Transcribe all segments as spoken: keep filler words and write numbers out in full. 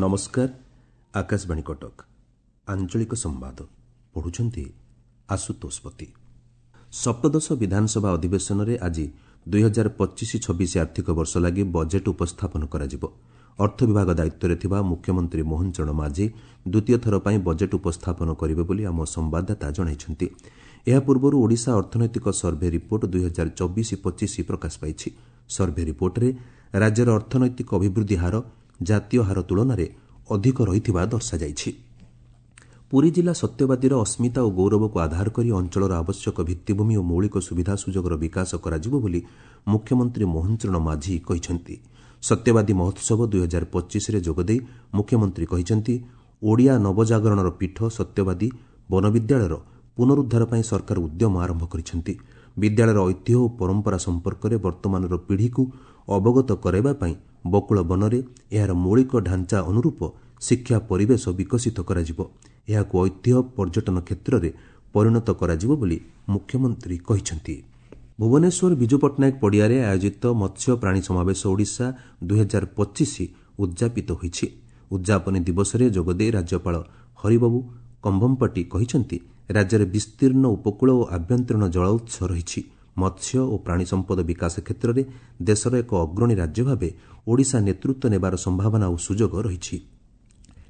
ନମସ୍କାର, ଆକାଶବାଣୀ କଟକ, ଆଞ୍ଚଳିକ ସମ୍ବାଦ ପଢୁଛନ୍ତି ଆଶୁତୋଷ ପତି। ସପ୍ତଦଶ ବିଧାନସଭା ଅଧିବେଶନରେ ଆଜି ଦୁଇ ହଜାର ପଚିଶ ଛବିଶ ଆର୍ଥିକ ବର୍ଷ ଲାଗି ବଜେଟ୍ ଉପସ୍ଥାପନ କରାଯିବ। ଅର୍ଥ ବିଭାଗ ଦାୟିତ୍ୱରେ ଥିବା ମୁଖ୍ୟମନ୍ତ୍ରୀ ମୋହନ ଚରଣ ମାଝୀ ଦ୍ୱିତୀୟ ଥର ପାଇଁ ବଜେଟ୍ ଉପସ୍ଥାପନ କରିବେ ବୋଲି ଆମ ସମ୍ବାଦଦାତା ଜଣାଇଛନ୍ତି। ଏହା ପୂର୍ବରୁ ଓଡ଼ିଶା ଅର୍ଥନୈତିକ ସର୍ଭେ ରିପୋର୍ଟ ଦୁଇ ହଜାର ଚବିଶ ପଚିଶ ପ୍ରକାଶ ପାଇଛି। ସର୍ଭେ ରିପୋର୍ଟରେ ରାଜ୍ୟର ଅର୍ଥନୈତିକ ଅଭିବୃଦ୍ଧି ହାର ଜାତୀୟ ହାର ତୁଳନାରେ ଅଧିକ ରହିଥିବା ଦର୍ଶାଯାଇଛି। ପୁରୀ ଜିଲ୍ଲା ସତ୍ୟବାଦୀର ଅସ୍ମିତା ଓ ଗୌରବକୁ ଆଧାର କରି ଅଞ୍ଚଳର ଆବଶ୍ୟକ ଭିତ୍ତିଭୂମି ଓ ମୌଳିକ ସୁବିଧା ସୁଯୋଗର ବିକାଶ କରାଯିବ ବୋଲି ମୁଖ୍ୟମନ୍ତ୍ରୀ ମୋହନ ଚରଣ ମାଝୀ କହିଛନ୍ତି। ସତ୍ୟବାଦୀ ମହୋତ୍ସବ ଦୁଇ ହଜାର ପଚିଶରେ ଯୋଗଦେଇ ମୁଖ୍ୟମନ୍ତ୍ରୀ କହିଛନ୍ତି, ଓଡ଼ିଆ ନବଜାଗରଣର ପୀଠ ସତ୍ୟବାଦୀ ବନବିଦ୍ୟାଳୟର ପୁନରୁଦ୍ଧାର ପାଇଁ ସରକାର ଉଦ୍ୟମ ଆରମ୍ଭ କରିଛନ୍ତି। ବିଦ୍ୟାଳୟର ଐତିହ୍ୟ ଓ ପରମ୍ପରା ସମ୍ପର୍କରେ ବର୍ତ୍ତମାନର ପିଢ଼ିକୁ ଅବଗତ କରାଇବା ପାଇଁ ବକୁଳ ବନରେ ଏହାର ମୌଳିକ ଢାଞ୍ଚା ଅନୁରୂପ ଶିକ୍ଷା ପରିବେଶ ବିକଶିତ କରାଯିବ। ଏହାକୁ ଐତିହ୍ୟ ପର୍ଯ୍ୟଟନ କ୍ଷେତ୍ରରେ ପରିଣତ କରାଯିବ ବୋଲି ମୁଖ୍ୟମନ୍ତ୍ରୀ କହିଛନ୍ତି। ଭୁବନେଶ୍ୱର ବିଜୁ ପଟ୍ଟନାୟକ ପଡ଼ିଆରେ ଆୟୋଜିତ ମତ୍ସ୍ୟ ପ୍ରାଣୀ ସମାବେଶ ଓଡ଼ିଶା ଦୁଇ ହଜାର ପଚିଶ ଉଦ୍ଯାପିତ ହୋଇଛି। ଉଦ୍ଯାପନୀ ଦିବସରେ ଯୋଗଦେଇ ରାଜ୍ୟପାଳ ହରିବାବୁ କମ୍ଭମପାଟି କହିଛନ୍ତି, ରାଜ୍ୟରେ ବିସ୍ତୀର୍ଣ୍ଣ ଉପକୂଳ ଓ ଆଭ୍ୟନ୍ତରୀଣ ଜଳ ଉତ୍ସ ରହିଛି। ମତ୍ସ୍ୟ ଓ ପ୍ରାଣୀ ସମ୍ପଦ ବିକାଶ କ୍ଷେତ୍ରରେ ଦେଶର ଏକ ଅଗ୍ରଣୀ ରାଜ୍ୟ ଭାବେ ଓଡ଼ିଶା ନେତୃତ୍ୱ ନେବାର ସମ୍ଭାବନା ଓ ସୁଯୋଗ ରହିଛି।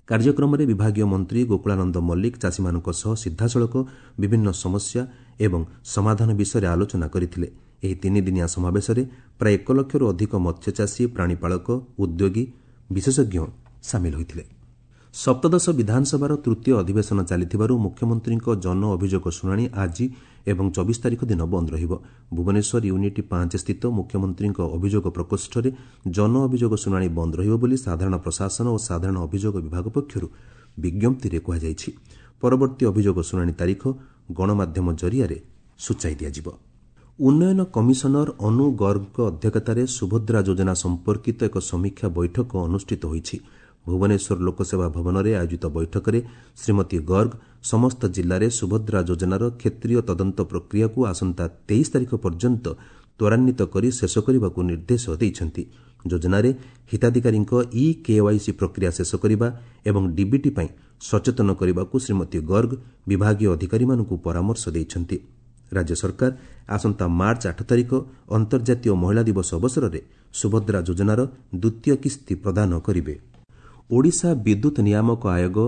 କାର୍ଯ୍ୟକ୍ରମରେ ବିଭାଗୀୟ ମନ୍ତ୍ରୀ ଗୋକୁଳାନନ୍ଦ ମଲ୍ଲିକ ଚାଷୀମାନଙ୍କ ସହ ସିଧାସଳଖ ବିଭିନ୍ନ ସମସ୍ୟା ଏବଂ ସମାଧାନ ବିଷୟରେ ଆଲୋଚନା କରିଥିଲେ। ଏହି ତିନିଦିନିଆ ସମାବେଶରେ ପ୍ରାୟ ଏକ ଲକ୍ଷରୁ ଅଧିକ ମତ୍ସ୍ୟଚାଷୀ, ପ୍ରାଣୀପାଳକ, ଉଦ୍ୟୋଗୀ, ବିଶେଷଜ୍ଞ ସାମିଲ ହୋଇଥିଲେ। ସପ୍ତଦଶ ବିଧାନସଭାର ତୃତୀୟ ଅଧିବେଶନ ଚାଲିଥିବାରୁ ମୁଖ୍ୟମନ୍ତ୍ରୀଙ୍କ ଜନ ଅଭିଯୋଗ ଶୁଣାଣି ଆଜି ଏବଂ ଚବିଶ ତାରିଖ ଦିନ ବନ୍ଦ ରହିବ। ଭୁବନେଶ୍ୱର ୟୁନିଟ୍ ପାଞ୍ଚ ସ୍ଥିତ ମୁଖ୍ୟମନ୍ତ୍ରୀଙ୍କ ଅଭିଯୋଗ ପ୍ରକୋଷ୍ଠରେ ଜନ ଅଭିଯୋଗ ଶୁଣାଣି ବନ୍ଦ ରହିବ ବୋଲି ସାଧାରଣ ପ୍ରଶାସନ ଓ ସାଧାରଣ ଅଭିଯୋଗ ବିଭାଗ ପକ୍ଷରୁ ବିଜ୍ଞପ୍ତିରେ କୁହାଯାଇଛି। ପରବର୍ତ୍ତୀ ଅଭିଯୋଗ ଶୁଣାଣି ତାରିଖ ଗଣମାଧ୍ୟମ ଜରିଆରେ ସୂଚାଇ ଦିଆଯିବ। ଉନ୍ନୟନ କମିଶନର ଅନୁ ଗର୍ଗଙ୍କ ଅଧ୍ୟକ୍ଷତାରେ ସୁଭଦ୍ରା ଯୋଜନା ସମ୍ପର୍କିତ ଏକ ସମୀକ୍ଷା ବୈଠକ ଅନୁଷ୍ଠିତ ହୋଇଛି। ଭୁବନେଶ୍ୱର ଲୋକସେବା ଭବନରେ ଆୟୋଜିତ ବୈଠକରେ ଶ୍ରୀମତୀ ଗର୍ଗ ସମସ୍ତ ଜିଲ୍ଲାରେ ସୁଭଦ୍ରା ଯୋଜନାର କ୍ଷେତ୍ରୀୟ ତଦନ୍ତ ପ୍ରକ୍ରିୟାକୁ ଆସନ୍ତା ତେଇଶ ତାରିଖ ପର୍ଯ୍ୟନ୍ତ ତ୍ୱରାନ୍ୱିତ କରି ଶେଷ କରିବାକୁ ନିର୍ଦ୍ଦେଶ ଦେଇଛନ୍ତି। ଯୋଜନାରେ ହିତାଧିକାରୀଙ୍କ ଇ କେୱାଇସି ପ୍ରକ୍ରିୟା ଶେଷ କରିବା ଏବଂ ଡିବିଟି ପାଇଁ ସଚେତନ କରିବାକୁ ଶ୍ରୀମତୀ ଗର୍ଗ ବିଭାଗୀୟ ଅଧିକାରୀମାନଙ୍କୁ ପରାମର୍ଶ ଦେଇଛନ୍ତି। ରାଜ୍ୟ ସରକାର ଆସନ୍ତା ମାର୍ଚ୍ଚ ଆଠ ତାରିଖ ଅନ୍ତର୍ଜାତୀୟ ମହିଳା ଦିବସ ଅବସରରେ ସୁଭଦ୍ରା ଯୋଜନାର ଦ୍ୱିତୀୟ କିସ୍ତି ପ୍ରଦାନ କରିବେ। ଓଡ଼ିଶା ବିଦ୍ୟୁତ୍ ନିୟାମକ ଆୟୋଗ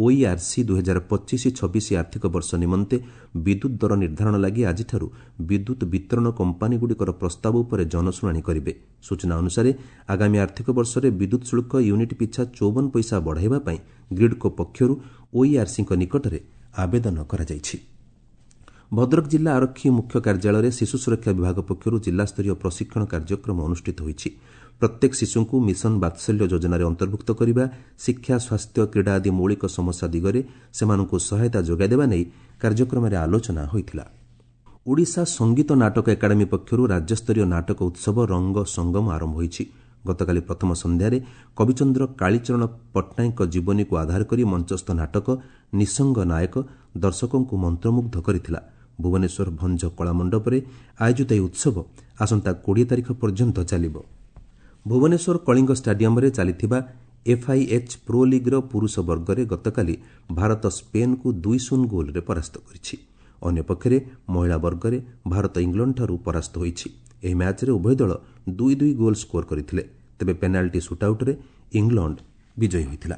ଓଇଆର୍ସି ଦୁଇ ହଜାର ପଚିଶ ଛବିଶ ଆର୍ଥିକ ବର୍ଷ ନିମନ୍ତେ ବିଦ୍ୟୁତ୍ ଦର ନିର୍ଦ୍ଧାରଣ ଲାଗି ଆଜିଠାରୁ ବିଦ୍ୟୁତ୍ ବିତରଣ କମ୍ପାନୀଗୁଡ଼ିକର ପ୍ରସ୍ତାବ ଉପରେ ଜନଶୁଣାଣି କରିବେ। ସୂଚନା ଅନୁସାରେ ଆଗାମୀ ଆର୍ଥିକ ବର୍ଷରେ ବିଦ୍ୟୁତ୍ ଶୁଳ୍କ ୟୁନିଟ୍ ପିଛା ଚଉବନ ପଇସା ବଢ଼ାଇବା ପାଇଁ ଗ୍ରିଡ୍କୋ ପକ୍ଷରୁ ଓଇଆର୍ସିଙ୍କ ନିକଟରେ ଆବେଦନ କରାଯାଇଛି। ଭଦ୍ରକ ଜିଲ୍ଲା ଆରକ୍ଷୀ ମୁଖ୍ୟ କାର୍ଯ୍ୟାଳୟରେ ଶିଶୁ ସୁରକ୍ଷା ବିଭାଗ ପକ୍ଷରୁ ଜିଲ୍ଲାସ୍ତରୀୟ ପ୍ରଶିକ୍ଷଣ କାର୍ଯ୍ୟକ୍ରମ ଅନୁଷ୍ଠିତ ହୋଇଛି। ପ୍ରତ୍ୟେକ ଶିଶୁଙ୍କୁ ମିଶନ ବାତ୍ସଲ୍ୟ ଯୋଜନାରେ ଅନ୍ତର୍ଭୁକ୍ତ କରିବା, ଶିକ୍ଷା, ସ୍ୱାସ୍ଥ୍ୟ, କ୍ରୀଡ଼ା ଆଦି ମୌଳିକ ସମସ୍ୟା ଦିଗରେ ସେମାନଙ୍କୁ ସହାୟତା ଯୋଗାଇଦେବା ନେଇ କାର୍ଯ୍ୟକ୍ରମରେ ଆଲୋଚନା ହୋଇଥିଲା। ଓଡ଼ିଶା ସଙ୍ଗୀତ ନାଟକ ଏକାଡେମୀ ପକ୍ଷରୁ ରାଜ୍ୟସ୍ତରୀୟ ନାଟକ ଉତ୍ସବ ରଙ୍ଗ ସଙ୍ଗମ ଆରମ୍ଭ ହୋଇଛି। ଗତକାଲି ପ୍ରଥମ ସନ୍ଧ୍ୟାରେ କବିଚନ୍ଦ୍ର କାଳୀଚରଣ ପଟ୍ଟନାୟକଙ୍କ ଜୀବନୀକୁ ଆଧାର କରି ମଞ୍ଚସ୍ଥ ନାଟକ ନିଃସଙ୍ଗ ନାୟକ ଦର୍ଶକଙ୍କୁ ମନ୍ତ୍ରମୁଗ୍ଧ କରିଥିଲା। ଭୁବନେଶ୍ୱର ଭଞ୍ଜ କଳାମଣ୍ଡପରେ ଆୟୋଜିତ ଏହି ଉତ୍ସବ ଆସନ୍ତା କୋଡ଼ିଏ ତାରିଖ ପର୍ଯ୍ୟନ୍ତ ଚାଲିବ। ଭୁବନେଶ୍ୱର କଳିଙ୍ଗ ଷ୍ଟାଡିୟମରେ ଚାଲିଥିବା ଏଫ୍ଆଇଏଚ୍ ପ୍ରୋ ଲିଗ୍ର ପୁରୁଷ ବର୍ଗରେ ଗତକାଲି ଭାରତ ସ୍ପେନ୍କୁ ଦୁଇ ଶୂନ ଗୋଲ୍ରେ ପରାସ୍ତ କରିଛି। ଅନ୍ୟପକ୍ଷରେ ମହିଳା ବର୍ଗରେ ଭାରତ ଇଂଲଣ୍ଡଠାରୁ ପରାସ୍ତ ହୋଇଛି। ଏହି ମ୍ୟାଚ୍ରେ ଉଭୟ ଦଳ ଦୁଇ ଦୁଇ ଗୋଲ୍ ସ୍କୋର କରିଥିଲେ। ତେବେ ପେନାଲ୍ଟି ସୁଟ୍ଆଉଟ୍ରେ ଇଂଲଣ୍ଡ ବିଜୟୀ ହୋଇଥିଲା।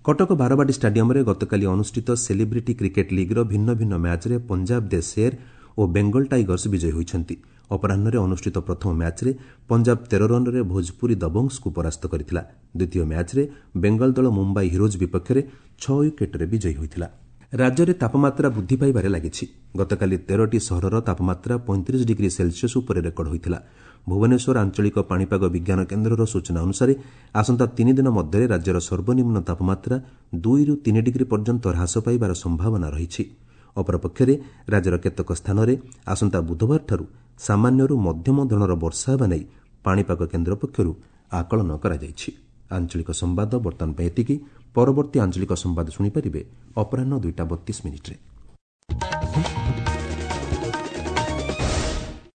କଟକ ବାରବାଟୀ ଷ୍ଟାଡିୟମରେ ଗତକାଲି ଅନୁଷ୍ଠିତ ସେଲିବ୍ରିଟି କ୍ରିକେଟ୍ ଲିଗ୍ର ଭିନ୍ନ ଭିନ୍ନ ମ୍ୟାଚ୍ରେ ପଞ୍ଜାବ ଦେ ଶେର୍ ଓ ବେଙ୍ଗଲ ଟାଇଗର୍ସ ବିଜୟୀ ହୋଇଛନ୍ତି। ଅପରାହ୍ନରେ ଅନୁଷ୍ଠିତ ପ୍ରଥମ ମ୍ୟାଚ୍ରେ ପଞ୍ଜାବ ତେର ରନ୍ରେ ଭୋଜପୁରୀ ଦବଙ୍ଗସକୁ ପରାସ୍ତ କରିଥିଲା। ଦ୍ୱିତୀୟ ମ୍ୟାଚ୍ରେ ବେଙ୍ଗଲ ଦଳ ମୁମ୍ବାଇ ହିରୋଜ୍ ବିପକ୍ଷରେ ଛଅ ୱିକେଟ୍ରେ ବିଜୟୀ ହୋଇଥିଲା। ରାଜ୍ୟରେ ତାପମାତ୍ରା ବୃଦ୍ଧି ପାଇବାରେ ଲାଗିଛି। ଗତକାଲି ତେରଟି ସହରର ତାପମାତ୍ରା ପଇଁତିରିଶ ଡିଗ୍ରୀ ସେଲସିୟସ୍ ଉପରେ ରେକର୍ଡ ହୋଇଥିଲା। ଭୁବନେଶ୍ୱର ଆଞ୍ଚଳିକ ପାଣିପାଗ ବିଜ୍ଞାନ କେନ୍ଦ୍ରର ସୂଚନା ଅନୁସାରେ ଆସନ୍ତା ତିନି ଦିନ ମଧ୍ୟରେ ରାଜ୍ୟର ସର୍ବନିମ୍ନ ତାପମାତ୍ରା ଦୁଇରୁ ତିନି ଡିଗ୍ରୀ ପର୍ଯ୍ୟନ୍ତ ହ୍ରାସ ପାଇବାର ସମ୍ଭାବନା ରହିଛି। ଅପରପକ୍ଷରେ ରାଜ୍ୟର କେତେକ ସ୍ଥାନରେ ଆସନ୍ତା ବୁଧବାରଠାରୁ ସାମାନ୍ୟରୁ ମଧ୍ୟମ ଧରଣର ବର୍ଷା ହେବା ନେଇ ପାଣିପାଗ କେନ୍ଦ୍ର ପକ୍ଷରୁ ଆକଳନ କରାଯାଇଛି। ଆଞ୍ଚଳିକ ସମ୍ବାଦ ବର୍ତ୍ତମାନ ପାଇଁ ଏତିକି। ପରବର୍ତ୍ତୀ ଆଞ୍ଚଳିକ ସମ୍ବାଦ ଶୁଣିପାରିବେ ଅପରାହ୍ନ ଦୁଇଟା ବତିଶ ମିନିଟ୍ରେ।